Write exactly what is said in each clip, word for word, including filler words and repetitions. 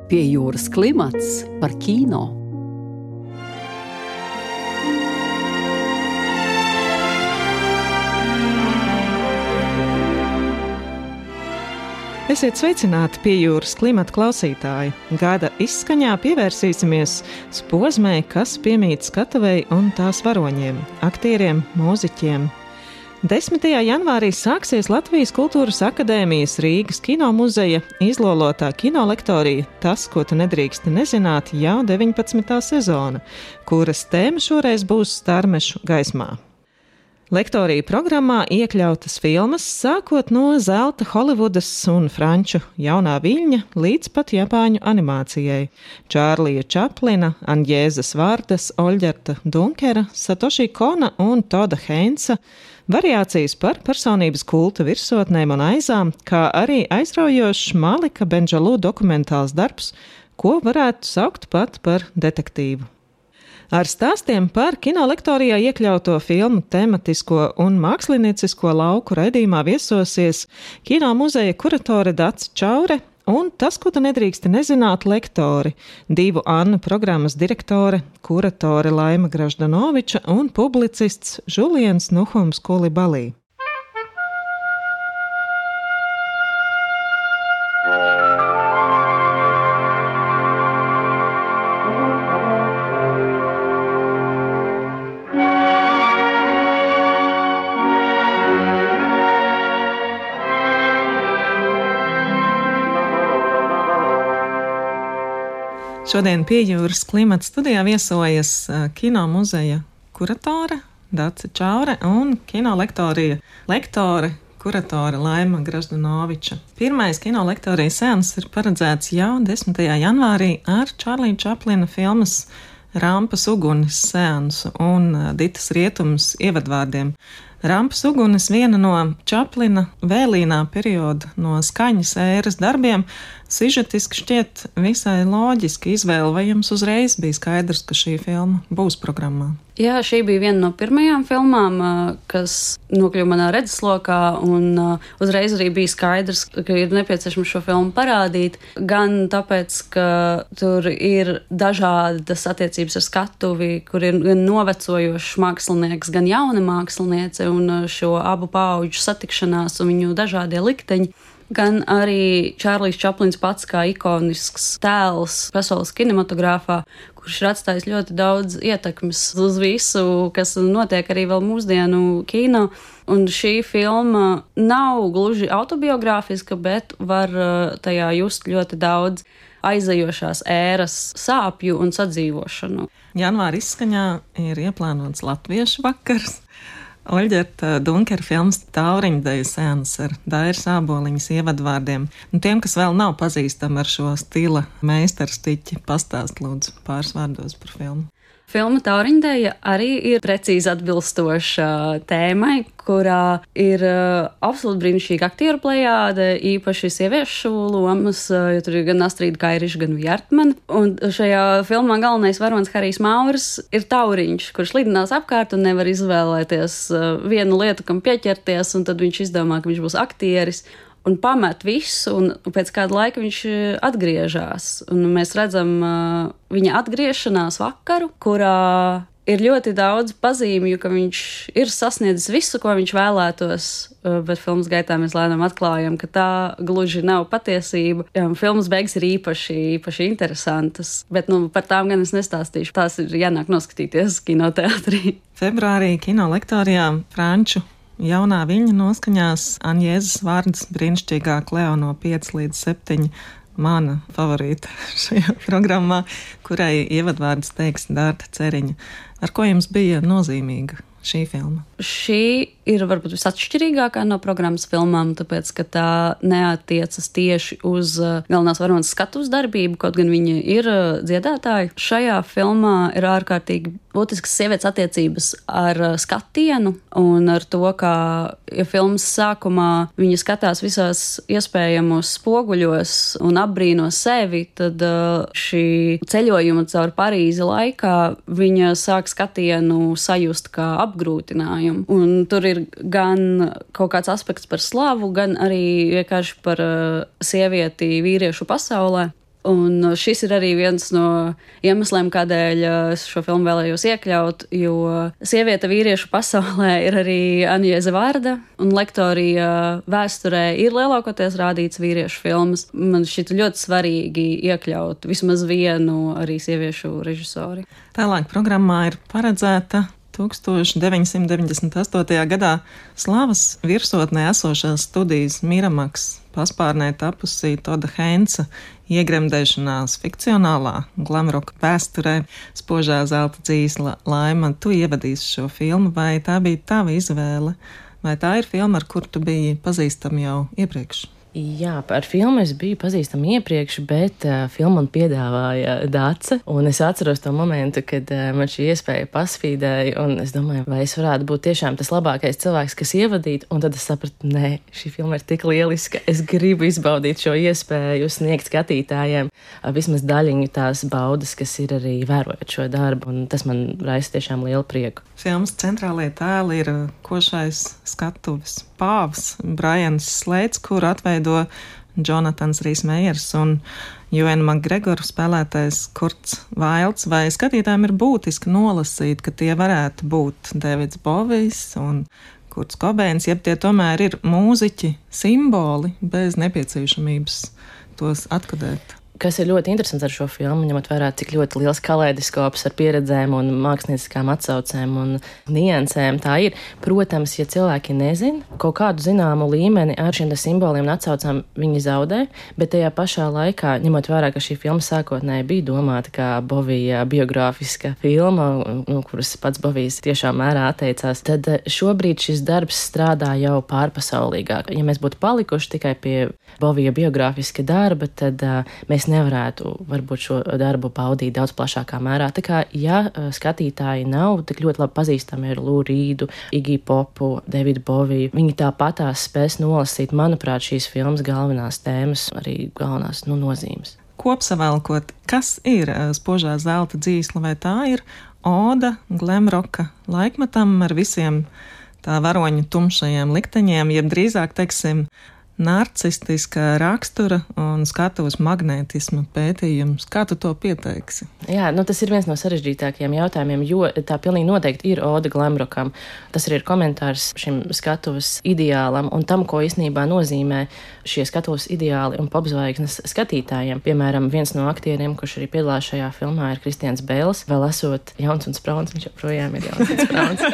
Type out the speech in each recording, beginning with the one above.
Pie jūras klimats par kino. Esiet sveicināti Pie jūras klimata klausītāji. Gada izskaņā pievērsīsimies Spozmei, kas piemīt skatuvei un tās varoņiem, aktieriem, mūziķiem. desmitajā janvārī sāksies Latvijas Kultūras akadēmijas Rīgas kinomuzeja izlolotā kinolektorija Tas, ko tu nedrīksti nezināt, jau deviņpadsmitā sezona, kuras tēma šoreiz būs starmešu gaismā. Lektorija programmā iekļautas filmas sākot no zelta Holivudas un franču jaunā viļņa līdz pat japāņu animācijai. Čārlija Čaplina, Anjēzas Vārdas, Oļģerta Dunkera, Satoshi Kona un Toda Heinsa, variācijas par personības kulta virsotnēm un aizām, kā arī aizraujošs Malika Bendžalu dokumentāls darbs, ko varētu saukt pat par detektīvu. Ar stāstiem par kinolektorijā iekļauto filmu tematisko un māksliniecisko lauku raidījumā viesosies kinomuzeja kuratore Dace Čaure un Tas, ko tu nedrīksti nezināt, lektori, divu Annu programmas direktore, kuratore Laima Graždanoviča un publicists Žuliens Nuhums Kulibalī. Šodien Pie jūras klimata studijā viesojas kinomuzeja kuratore Dace Čaure un kinolektorija lektore, kuratore Laima Graždanoviča. Pirmais kinolektorijas seans ir paredzēts jau desmitajā janvārī ar Čārlija Čaplina filmas Rampas ugunis seansu un Ditas Rietumas ievadvārdiem. Rampas ugunis viena no Čaplina vēlīnā perioda no skaņas ēras darbiem, sižetiski šķiet visai loģiski izvēle, vai jums uzreiz bija skaidrs, ka šī filma būs programmā? Jā, šī bija viena no pirmajām filmām, kas nokļuva manā redzeslokā, un uzreiz arī bija skaidrs, ka ir nepieciešams šo filmu parādīt, gan tāpēc, ka tur ir dažādas attiecības ar skatuvi, kur ir gan novecojošs mākslinieks, gan jauna māksliniece, un šo abu paauģu satikšanās un viņu dažādie likteņi, gan arī Čārlijs Čaplins pats kā ikonisks tēls pasaules kinematogrāfā, kurš ir atstājis ļoti daudz ietekmes uz visu, kas notiek arī vēl mūsdienu kino. Un šī filma nav gluži autobiogrāfiska, bet var tajā just ļoti daudz aizejošās ēras sāpju un sadzīvošanu. Janvāra izskaņā ir ieplānots latviešu vakars. Oļģerta Dunkera filmas Tauriņdeju seans ar Dairas Āboliņas ievadvārdiem. Un tiem, kas vēl nav pazīstami ar šo stila meistarstiķi, pastāst lūdzu pāris vārdos par filmu. Filma Tauriņdeja arī ir precīzi atbilstoša tēmai, kurā ir absolūti brīnišķīga aktieru plejāde, īpaši sieviešu lomas, jo tur ir gan Astrīda Kairiša, gan Vjartmane. Un šajā filmā galvenais varonis Harijs Mauris ir tauriņš, kurš lidinās apkārt un nevar izvēlēties vienu lietu, kam pieķerties, un tad viņš izdomā, ka viņš būs aktieris. Un pamet visu, un pēc kāda laika viņš atgriežas. Un mēs redzam uh, viņa atgriešanās vakaru, kurā ir ļoti daudz pazīmju, ka viņš ir sasniedzis visu, ko viņš vēlētos, uh, bet filmas gaitā mēs lēnām atklājam, ka tā gluži nav patiesība. Jā, filmas beigas ir īpaši, īpaši interesantas, bet nu, par tām gan es nestāstīšu. Tās ir jānāk noskatīties kinoteātrī. Februārī kinolektorijā franču jaunā viļņa noskaņās Anjēzas Vārdas brīnišķīgā Kleo no pieci līdz septiņi, mana favorīta šajā programmā, kurai ievadvārdas teiks Dārta Ceriņa. Ar ko jums bija nozīmīga šī filma? Šī ir varbūt visatšķirīgākā no programmas filmām, tāpēc, ka tā neatiecas tieši uz galvenās varonas skatuves darbību, kaut gan viņa ir dziedātāja. Šajā filmā ir ārkārtīgi būtiskas sievietes attiecības ar skatienu un ar to, kā ja filmas sākumā viņa skatās visās iespējamos spoguļos un apbrīno sevi, tad šī ceļojuma caur Parīzi laikā viņa sāk skatienu sajust kā apgrūtinājumu. Un tur ir gan kaut kāds aspekts par slavu, gan arī vienkārši par uh, sievieti vīriešu pasaulē. Un šis ir arī viens no iemesliem, kādēļ es šo filmu vēlējos iekļaut, jo sieviete vīriešu pasaulē ir arī Aņēze Vārda, un lektorija vēsturē ir lielākoties rādīts vīriešu filmas. Man šķita ļoti svarīgi iekļaut vismaz vienu arī sieviešu režisori. Tālāk programmā ir paredzēta tūkstoš deviņsimt deviņdesmit astotajā gadā Slavas virsotnē esošās studijas Miramaks paspārnē tapusī Toda Heinza iegremdēšanās fikcionālā glamroka vēsturē Spožā zelta dzīsla. Laima, tu ievadīsi šo filmu, vai tā bija tava izvēle, vai tā ir filma, ar kuru tu biji pazīstama jau iepriekš? Jā, par filmu es biju pazīstama iepriekš, bet uh, filmu man piedāvāja Dace, un es atceros to momentu, kad uh, man šī iespēja pasvīdēja, un es domāju, vai es varētu būt tiešām tas labākais cilvēks, kas ievadīt, un tad es sapratu, nē, šī filma ir tik lieliska, es gribu izbaudīt šo iespēju, sniegt skatītājiem uh, vismaz daļiņu tās baudas, kas ir arī vērojot šo darbu, un tas man raisa tiešām lielu prieku. Filmas centrālie tēli ir košais skatuves pāvs Brians Slēds, kuru atveido Jonatans Rhys-Meyers un Ewan McGregor spēlētais Kurts Vailds. Vai skatītājiem ir būtiski nolasīt, ka tie varētu būt Davids Bovijs un Kurts Kobeins, jeb tie tomēr ir mūziķi simboli bez nepieciešamības tos atkodēt? Kas ir ļoti interesants ar šo filmu, ņemot vērā, cik ļoti liels kaleidoskops ar pieredzēm un mākslinieckām atsaucēm un niansēm tā ir. Protams, ja cilvēki nezin, kaut kādu zināmu līmeni ar šiem simboliem un atsaucām viņi zaudē, bet tajā pašā laikā, ņemot vērā, ka šī filma sākotnēji bija domāta kā Bovija biogrāfiska filma, no kuras pats Bovijs tiešām mērā atteicās, tad šobrīd šis darbs strādā jau pārpasaulīgāk. Ja mēs būtu palikuši tikai pie Bovija biogrāfiska darba, tad uh, mēs nevarētu varbūt šo darbu baudīt daudz plašākā mērā. Tā kā, ja skatītāji nav tik ļoti labi pazīstami ar Lou Reedu, Iggy Popu, Davidu Boviju, viņi tāpatās spēs nolasīt, manuprāt, šīs filmas galvenās tēmas, arī galvenās nu, nozīmes. Kopsavēlkot, kas ir Spožā zelta dzīsla, vai tā ir oda glamroka laikmetam ar visiem tā varoņu tumšajiem likteņiem, jeb drīzāk, teiksim, narcistiskā rakstura un skatuves magnētisma pētījums. Kā tu to pieteiksi? Jā, nu tas ir viens no sarežģītākajiem jautājumiem, jo tā pilnīgi noteikti ir oda glamrokam. Tas arī ir komentārs šim skatuves ideālam un tam, ko īstenībā nozīmē šie skatuves ideāli un popzvaigznes skatītājiem. Piemēram, viens no aktieriem, kurš arī piedalās šajā filmā, ir Kristians Bēls. Vēl esot jauns un sprauns, viņš joprojām ir jauns un sprauns.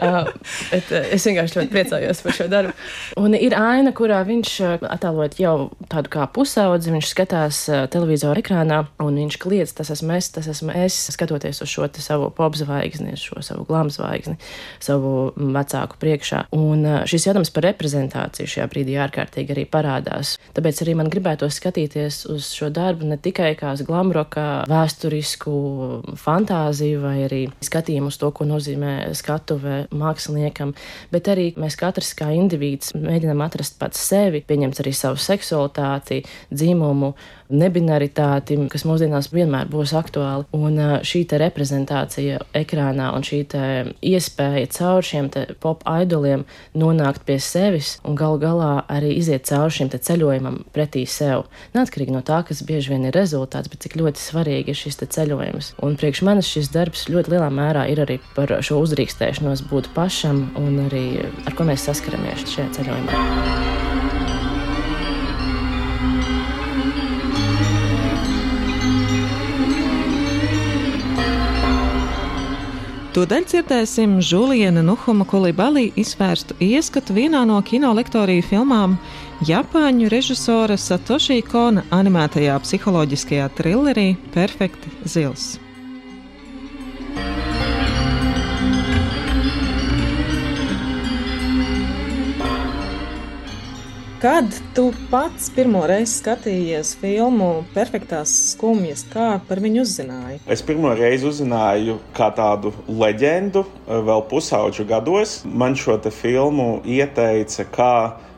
uh, bet, uh, es vienkārši ļoti priecājos par šo darbu. Un ir aina, kurā viņš attēlot jau tādu kā pusaudzi, viņš skatās uh, televizoru ekrānā un viņš kliedz, tas esmu es, tas esmu es, skatoties uz šo savu popzvaigzni, šo savu glamzvaigzni, savu vecāku priekšā. Un uh, šis jautājums par reprezentāciju šajā brīdī ārkārtīgi arī parādās. Tāpēc arī man gribētos skatīties uz šo darbu ne tikai kā uz glamroka vēsturisku fantāziju vai arī skatījumu uz to, ko nozīmē skatuve māksliniekam, bet arī mēs katrs kā indivīds mēģinām atrast pats sevi, pieņemt arī savu seksualitāti, dzimumu, nebinaritāti, kas mūsdienās vienmēr būs aktuāli. Un šī te reprezentācija ekrānā un šī te iespēja caur šiem te pop idoliem nonākt pie sevis un galu galā arī iziet caur šim te ceļojumam pretī sev. Neatkarīgi no tā, kas bieži vien ir rezultāts, bet cik ļoti svarīgi ir šis te ceļojums. Un priekš manis šis darbs ļoti lielā mērā ir arī par šo uzdrīkstēšanos būt pašam un arī ar ko mēs saskaramies šajā ceļojumā. Tūdaļ dzirdēsim Žuliena Nuhuma Kulibalī izvērstu ieskatu vienā no kinolektoriju filmām Japāņu režisora Satoshi Kona animētajā psiholoģiskajā trillerī Perfekti zils. Kad tu pats pirmo reizi skatījies filmu Perfektās skumjas, kā par viņu uzzināji? Es pirmo reizi uzzināju kā tādu leģendu vēl pusauģu gados. Man šo te filmu ieteica kā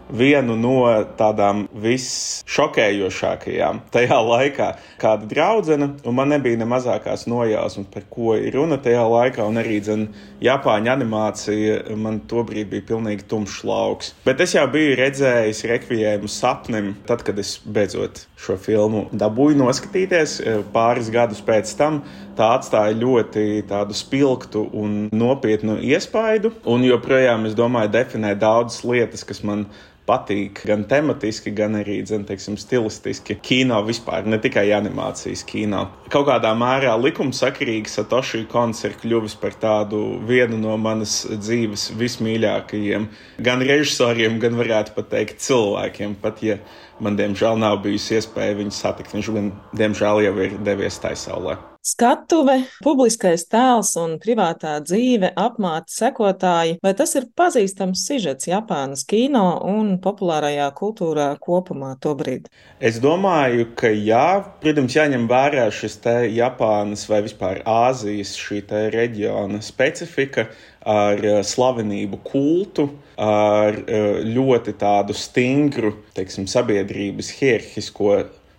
vienu no tādām visšokējošākajām tajā laikā. Kāda draudzene, un man nebija ne mazākās nojausmas, par ko ir runa tajā laikā, un arī, dzen, Japāņu animācija man tobrīd bija pilnīgi tumšs lauks. Bet es jau biju redzējis rekvijējumu sapnim, tad, kad es beidzot šo filmu dabūju noskatīties pāris gadus pēc tam. Tā atstāja ļoti tādu spilgtu un nopietnu iespaidu, un joprojām, es domāju, definē daudzas lietas, kas man patīk gan tematiski, gan arī, dzen, teiksim, stilistiski kino vispār, ne tikai animācijas kino. Kaut kādā mērā likumsakarīgi Satoshi Kons ir kļuvis par tādu vienu no manas dzīves vismīļākajiem gan režisoriem, gan varētu pat teikt cilvēkiem, pat ja man, diemžēl, nav bijusi iespēja viņu satikt. Viņš gan, diemžēl, jau ir devies taisaulē. Skatuve, publiskais tēls un privātā dzīve, apmāti sekotāji, vai tas ir pazīstams sižets Japānas kino un populārajā kultūrā kopumā tobrīd? Es domāju, ka jā, protams, jāņem vērā šis te Japānas vai vispār Āzijas šī te reģiona specifika ar slavenību kultu, ar ļoti tādu stingru, teiksim, sabiedrības hierarhisko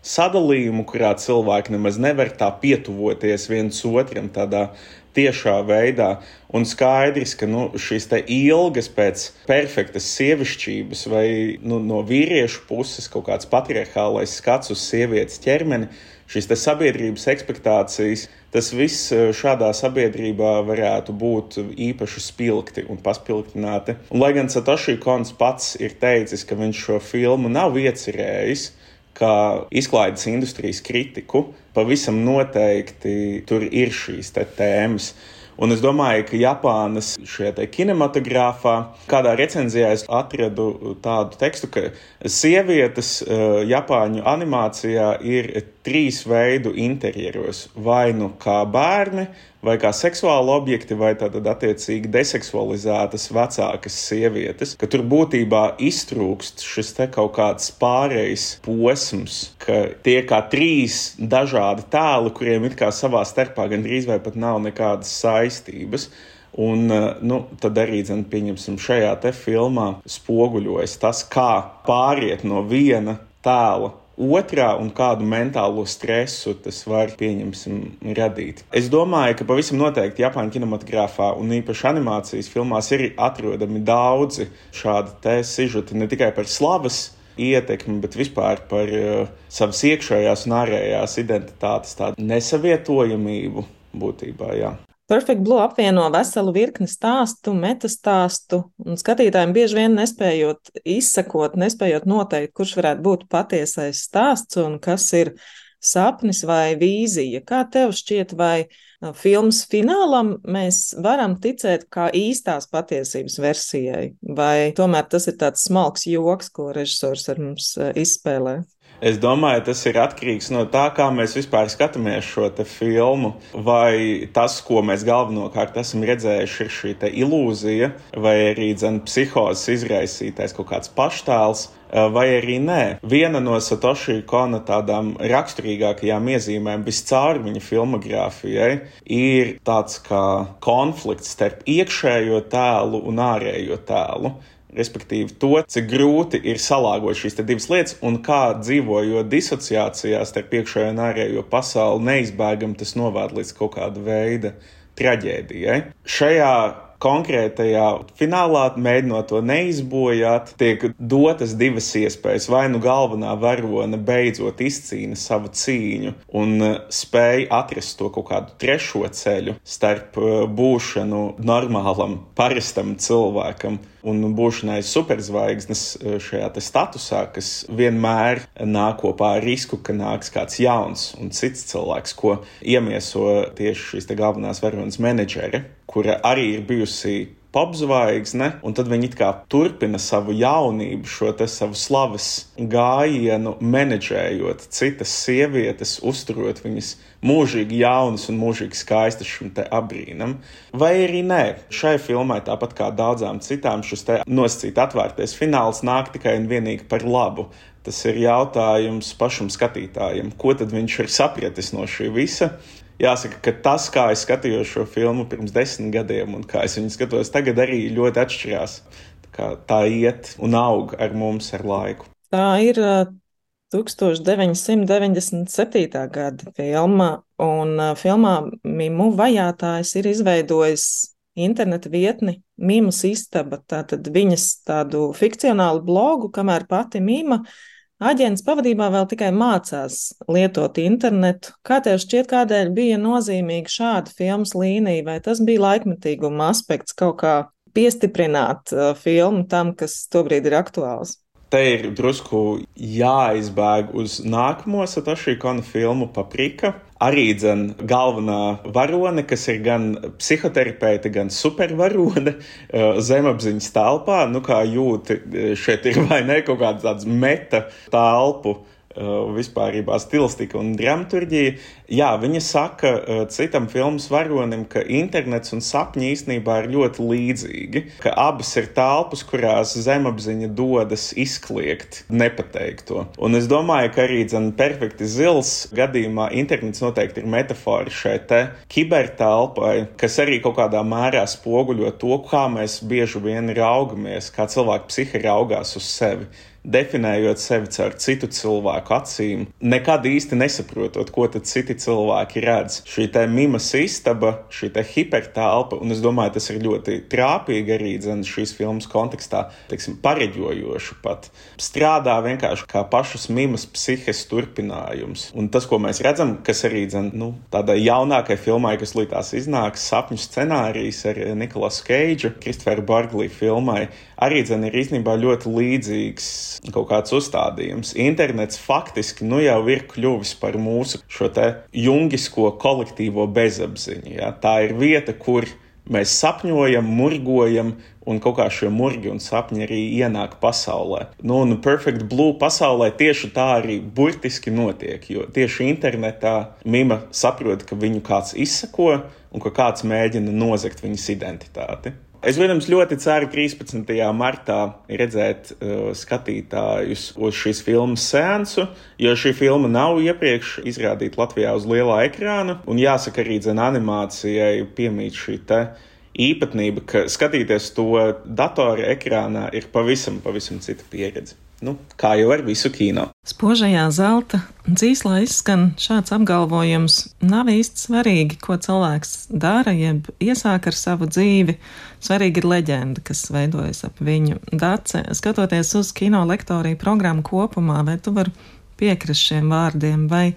sadalījumu, kurā cilvēki nemaz nevar tā pietuvoties viens otram tādā tiešā veidā. Un skaidrs, ka nu, šīs te ilgas pēc perfektas sievišķības vai nu, no vīriešu puses kaut kāds patriarchālais skats uz sievietes ķermeni, šīs te sabiedrības ekspektācijas, tas viss šādā sabiedrībā varētu būt īpaši spilgti un paspilgtināti. Un, lai gan Satoshi Kons pats ir teicis, ka viņš šo filmu nav iecerējis, kā izklaides industrijas kritiku, pavisam noteikti tur ir šīs te tēmas. Un es domāju, ka Japānas šajā te kinematogrāfā, kādā recenzijā es atradu tādu tekstu, ka sievietes uh, Japāņu animācijā ir trīs veidu interjeros. Vai nu kā bērni, vai kā seksuāli objekti, vai tātad attiecīgi deseksualizētas vecākas sievietes, ka tur būtībā iztrūkst šis te kaut kāds pārējais posms, ka tie kā trīs dažādi tēli, kuriem it kā savā starpā gandrīz vai pat nav nekādas saistības. Un, nu, tad arī, zin, pieņemsim, šajā te filmā spoguļojas tas, kā pāriet no viena tēla otrā un kādu mentālo stresu tas var, pieņemsim, radīt. Es domāju, ka pavisam noteikti Japāņu kinematogrāfā un īpaši animācijas filmās ir atrodami daudzi šādi te sižeti, ne tikai par slavas ietekmi, bet vispār par uh, savas iekšējās un ārējās identitātes tādu nesavietojamību būtībā, jā. Perfect Blue apvieno veselu virkni stāstu, metastāstu, un skatītājiem bieži vien nespējot izsekot, nespējot noteikt, kurš varētu būt patiesais stāsts un kas ir sapnis vai vīzija. Kā tev šķiet, vai filmas finālam mēs varam ticēt kā īstās patiesības versijai, vai tomēr tas ir tāds smalks joks, ko režisors ar mums izspēlē? Es domāju, tas ir atkarīgs no tā, kā mēs vispār skatāmies šo te filmu, vai tas, ko mēs galvenokārt esam redzējuši, ir šī te ilūzija, vai arī, dzen, psihozes izraisītais kaut kāds paštēls, vai arī nē. Viena no Satoshi Kona tādām raksturīgākajām iezīmēm viscaur viņa filmogrāfijai ir tāds kā konflikts starp iekšējo tēlu un ārējo tēlu. Respektīvi to, cik grūti ir salāgot šīs te divas lietas un kā dzīvojot disociācijās starp iekšējo un ārējo pasauli neizbēgam tas novērt līdz kaut kāda veida traģēdijai. Šajā konkrētajā finālā, mēģinot to neizbojāt, tiek dotas divas iespējas. Vai nu galvenā varone beidzot izcīna savu cīņu un spēj atrast to kaut kādu trešo ceļu starp būšanu normālam, parastam cilvēkam un būšanai superzvaigznes šajā te statusā, kas vienmēr nāk kopā ar risku, ka nāks kāds jauns un cits cilvēks, ko iemieso tieši šīs te galvenās varonas menedžere, kura arī ir bijusi popzvaigzne, un tad viņi it kā turpina savu jaunību, šo te savu slavas gājienu, menedžējot citas sievietes, uzturot viņas mūžīgi jaunas un mūžīgi skaistas šim te abrīnam. Vai arī nē, šai filmai, tāpat kā daudzām citām, šis te nosacīt atvērtais fināls nāk tikai un vienīgi par labu. Tas ir jautājums pašam skatītājam, ko tad viņš ir sapratis no šī visa. Jāsaka, ka tas, kā es skatījos šo filmu pirms desmit gadiem un kā es viņu skatos tagad, arī ļoti atšķirās. Tā kā tā iet un aug ar mums ar laiku. Tā ir tukstovš deviņsimt deviņdesmit septītā gada filma, un filmā mimu vajātājs ir izveidojis interneta vietni Mimas istaba, tātad viņas tādu fikcionālu blogu, kamēr pati Mima aģents pavadībā vēl tikai mācās lietot internetu. Kā tev šķiet, kādēļ bija nozīmīga šāda filmas līnija, vai tas bija laikmetīguma aspekts kaut kā piestiprināt uh, filmu tam, kas tobrīd ir aktuāls? Te ir drusku jāizbēg uz nākamo Satoshi Kona filmu Paprika. Arī dzen galvenā varone, kas ir gan psihoterapeite, gan supervarone zemapziņas telpā. Nu, kā jūti, šeit ir vai ne kaut kāds tāds meta telpu vispārībā stilistika un dramaturģija. Jā, viņa saka citam filmas varonim, ka internets un sapņi īstenībā ir ļoti līdzīgi, ka abas ir telpas, kurās zemapziņa dodas izkliegt nepateikto. Un es domāju, ka arī dzen perfekti zils gadījumā internets noteikti ir metafora šai te kibertelpai, kas arī kaut kādā mērā spoguļo to, kā mēs bieži vien raugamies, kā cilvēki psihi raugās uz sevi. Definējot sevi caur citu cilvēku acīm, nekad īsti nesaprotot, ko tad citi cilvēki redz. Šī te Mimas istaba, šī te hipertelpa, un es domāju, tas ir ļoti trāpīgi arī dzen šīs filmas kontekstā, teiksim, pareģojoši pat. Strādā vienkārši kā pašas Mimas psihes turpinājums. Un tas, ko mēs redzam, kas arī dzen, nu, tādai jaunākai filmai, kas līdz iznāks, sapņu scenārijs ar Nikolasu Keidžu, Kristoferu Barglī filmai, arī dzen ir īstenībā ļoti līdzīgs kaut kāds uzstādījums. Internets faktiski nu jau ir kļuvis par mūsu šo te jungisko kolektīvo bezapziņu. Ja? Tā ir vieta, kur mēs sapņojam, murgojam, un kaut kā šie murgi un sapņi arī ienāk pasaulē. Nu, un Perfect Blue pasaulē tieši tā arī burtiski notiek, jo tieši internetā Mima saprot, ka viņu kāds izsako un ka kāds mēģina nozagt viņas identitāti. Es, protams, ļoti ceru trīspadsmitajā martā redzēt uh, skatītājus uz šīs filmas seansu, jo šī filma nav iepriekš izrādīta Latvijā uz lielā ekrāna, un jāsaka arī dzen animācijai piemīt šī te īpatnība, ka skatīties to datora ekrānā ir pavisam, pavisam cita pieredze. Nu, kā jau ar visu kino. Spožajā zelta dzīslā izskan šāds apgalvojums: nav īsti svarīgi, ko cilvēks dara, jeb iesāk ar savu dzīvi. Svarīgi ir leģenda, kas veidojas ap viņu. Dace, skatoties uz kino lektoriju programmu kopumā, vai tu vari piekrist šiem vārdiem, vai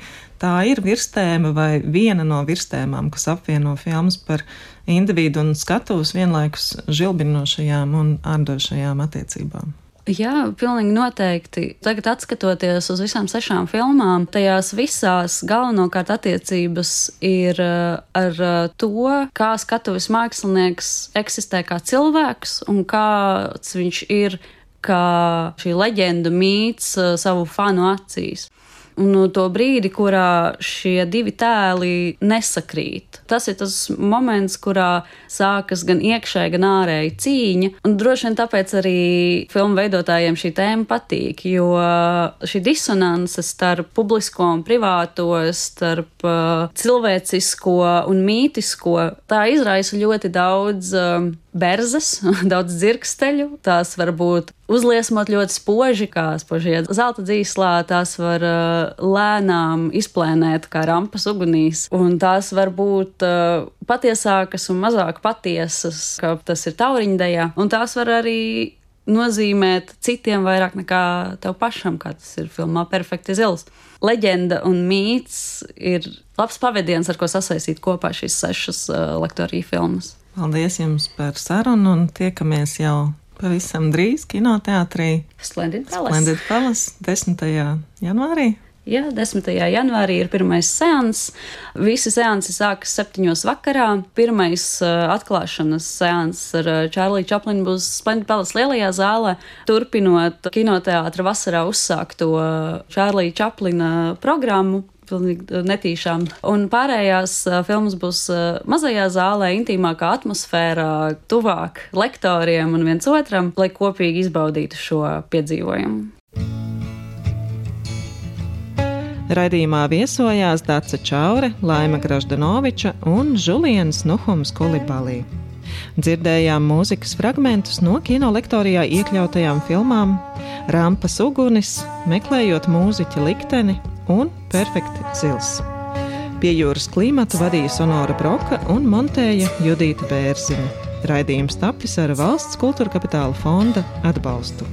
tā ir virstēma vai viena no virstēmām, kas apvieno filmas par individu un skatuves vienlaikus žilbinošajām un ārdošajām attiecībām? Jā, pilnīgi noteikti. Tagad, atskatoties uz visām sešām filmām, tajās visās galvenokārt attiecības ir ar to, kā skatuves mākslinieks eksistē kā cilvēks un kāds viņš ir kā šī leģenda mīts savu fanu acīs. Un to brīdi, kurā šie divi tēli nesakrīt. Tas ir tas moments, kurā sākas gan iekšēji, gan ārēji cīņa. Un droši vien tāpēc arī filmu veidotājiem šī tēma patīk, jo šī disonance starp publisko un privāto, starp uh, cilvēcisko un mītisko, tā izraisa ļoti daudz uh, berzes, daudz dzirksteļu. Tās var būt uzliesmot ļoti spoži, kā spožie zelta dzīslā, tās var uh, lēnām izplēnēt kā rampas ugunīs, un tās var būt uh, patiesākas un mazāk patiesas, kā tas ir tauriņdejā, un tās var arī nozīmēt citiem vairāk nekā tev pašam, kā tas ir filmā Perfekti zils. Leģenda un mīts ir labs pavadiens, ar ko sasaistīt kopā šīs sešas uh, lektoriju filmas. Paldies jums par sarunu un tiekamies jau pavisam drīz kinoteātrī Splendid Palace. Splendid Palace desmitajā janvārī. Jā, desmitajā janvārī ir pirmais seans. Visi seansi sākas septiņos vakarā. Pirmais uh, atklāšanas seans ar uh, Čārliju Čaplinu būs Splendid Palace lielajā zālē, turpinot kinoteātra vasarā uzsākto uh, Čārlija Čaplina programmu. Pilnīgi netīšām. Un pārējās uh, filmas būs uh, mazajā zālē, intīmākā atmosfērā, tuvāk lektoriem un viens otram, lai kopīgi izbaudītu šo piedzīvojumu. Raidījumā viesojās Dace Čaure, Laima Graždanoviča un Žuliens Nuhums Kulibalī. Dzirdējām mūzikas fragmentus no kinolektorijā iekļautajām filmām Rampas ugunis, Meklējot mūziķa likteni un Perfekti zils. Pie jūras klimatu vadīja Sonora Broka un montēja Judīta Bērziņa. Raidījums tapis ar Valsts kultūra kapitāla fonda atbalstu.